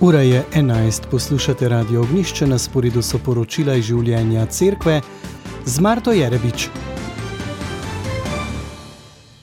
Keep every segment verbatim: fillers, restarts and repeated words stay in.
Ura je enajst, poslušate Radio Ognjišče, na sporedu so poročila iz življenja cerkve z Marto Jerebič.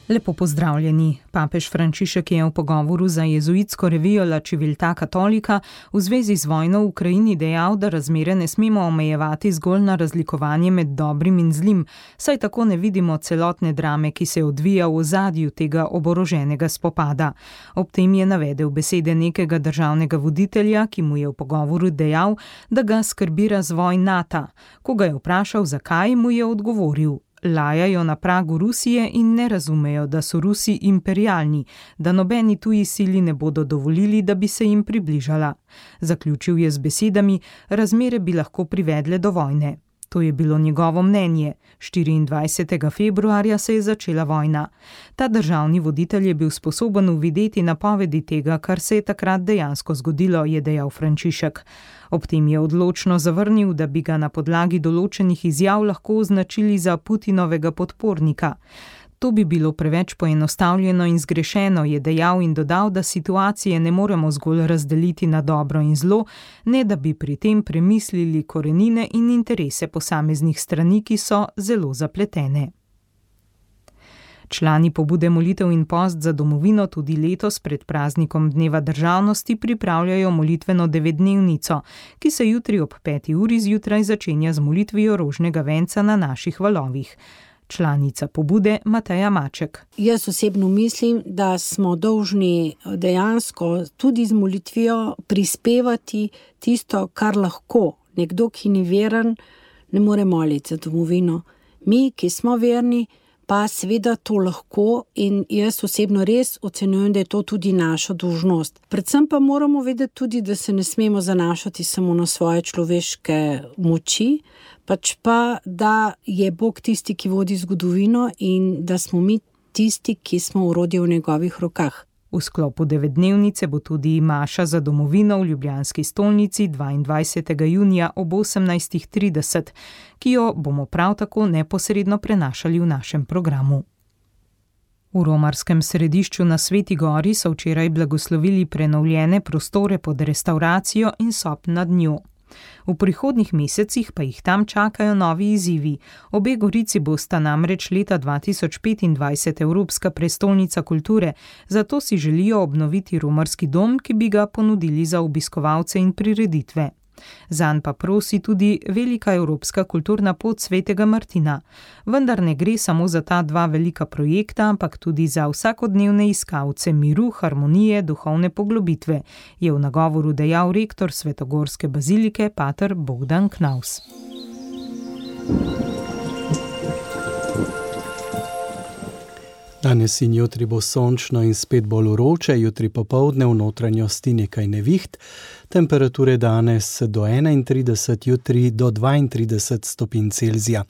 Lepo pozdravljeni. Papež Frančišek je v pogovoru za jezuitsko revijo La Civiltà Cattolica v zvezi z vojno v Ukrajini dejal, da razmere ne smemo omejevati zgolj na razlikovanje med dobrim in zlim, saj tako ne vidimo celotne drame, ki se odvija v ozadju tega oboroženega spopada. Ob tem je navedel besede nekega državnega voditelja, ki mu je v pogovoru dejal, da ga skrbi razvoj Nata. Ko ga je vprašal, zakaj, mu je odgovoril: lajajo na pragu Rusije in ne razumejo, da so Rusi imperialni, da nobeni tuji sili ne bodo dovolili, da bi se jim približala. Zaključil je z besedami: razmere bi lahko privedle do vojne. To je bilo njegovo mnenje. štiriindvajsetega februarja se je začela vojna. Ta državni voditelj je bil sposoben uvideti napovedi tega, kar se je takrat dejansko zgodilo, je dejal Frančišek. Ob tem je odločno zavrnil, da bi ga na podlagi določenih izjav lahko označili za Putinovega podpornika. To bi bilo preveč poenostavljeno in zgrešeno, je dejal in dodal, da situacije ne moremo zgolj razdeliti na dobro in zlo, ne da bi pri tem premislili korenine in interese posameznih strani, ki so zelo zapletene. Člani pobude Molitev in post za domovino tudi letos pred praznikom Dneva državnosti pripravljajo molitveno devetdnevnico, ki se jutri ob peti uri zjutraj začenja z molitvijo rožnega venca na naših valovih. Članica pobude Mateja Maček. Jaz osebno mislim, da smo dolžni dejansko tudi z molitvijo prispevati tisto, kar lahko. Nekdo, ki ni veren, ne more moliti za domovino. Mi, ki smo verni, pa seveda to lahko in jaz osebno res ocenjujem, da je to tudi naša dolžnost. Predvsem pa moramo vedeti tudi, da se ne smemo zanašati samo na svoje človeške moči, pač pa, da je Bog tisti, ki vodi zgodovino in da smo mi tisti, ki smo orodje v njegovih rokah. V sklopu devetdnevnice bo tudi maša za domovino v ljubljanski stolnici dvaindvajsetega junija ob osemnajstih trideset, ki jo bomo prav tako neposredno prenašali v našem programu. V romarskem središču na Sveti Gori so včeraj blagoslovili prenovljene prostore pod restavracijo in sob nad njo. V prihodnjih mesecih pa jih tam čakajo novi izzivi. Obe gorici bosta namreč leta dva tisoč petindvajset Evropska prestolnica kulture, zato si želijo obnoviti romarski dom, ki bi ga ponudili za obiskovalce in prireditve. Zanj pa prosi tudi velika evropska kulturna pot Svetega Martina. Vendar ne gre samo za ta dva velika projekta, ampak tudi za vsakodnevne iskalce miru, harmonije, duhovne poglobitve, je v nagovoru dejal rektor Svetogorske bazilike pater Bogdan Knaus. Danes in jutri bo sončno in spet bolj vroče, jutri popoldne v notranjosti nekaj neviht, temperature danes do enaintrideset, jutri do dvaintrideset stopinj Celzija.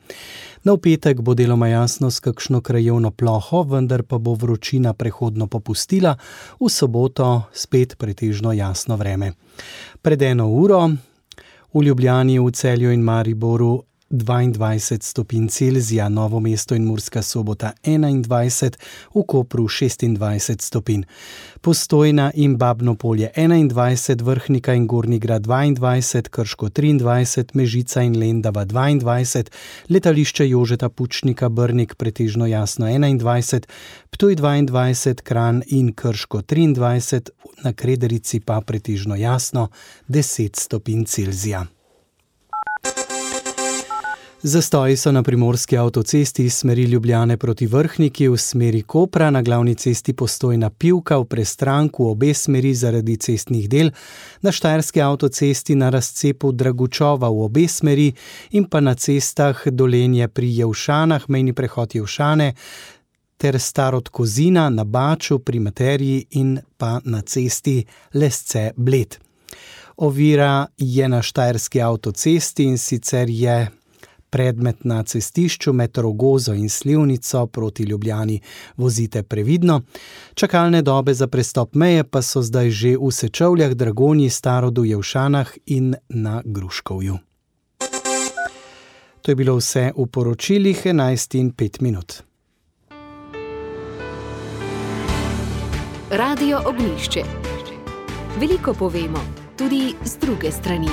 Na v petek bo deloma jasno s kakšno krajevno ploho, vendar pa bo vročina prehodno popustila, v soboto spet pretežno jasno vreme. Pred eno uro v Ljubljani, v Celju in Mariboru dvaindvajset stopinj Celzija, Novo mesto in Murska Sobota enaindvajset, v Kopru šestindvajset stopinj. Postojna in Babno Polje enaindvajset, Vrhnika in Gornji Grad dvaindvajset, Krško triindvajset, Mežica in Lendava dvaindvajset, Letališče Jožeta Pučnika Brnik pretežno jasno enaindvajset, Ptuj dvaindvajset, Kranj in Krško triindvajset, na Krederici pa pretežno jasno deset stopinj Celzija. Zastoji so na primorski avtocesti iz smeri Ljubljane proti Vrhniki v smeri Kopra, na glavni cesti Postojna Pivka v Prestranku obe smeri zaradi cestnih del, na štajerski avtocesti na razcepu Dragučova v obe smeri in pa na cestah Dolenje pri Jevšanah, mejni prehod Jevšane, ter Starod Kozina na Baču pri Materiji in pa na cesti Lesce Bled. Ovira je na štajerski avtocesti in sicer je predmet na cestišču med Rogozo in Slivnico proti Ljubljani. Vozite previdno. Čakalne dobe za prestop meje pa so zdaj že v Sečovljah, Dragonji, Starodu, Jevšanah in na Gruškovju. To je bilo vse v poročilih enajst in pet minut. Radio Ognjišče. Veliko povemo. tudi z druge strani.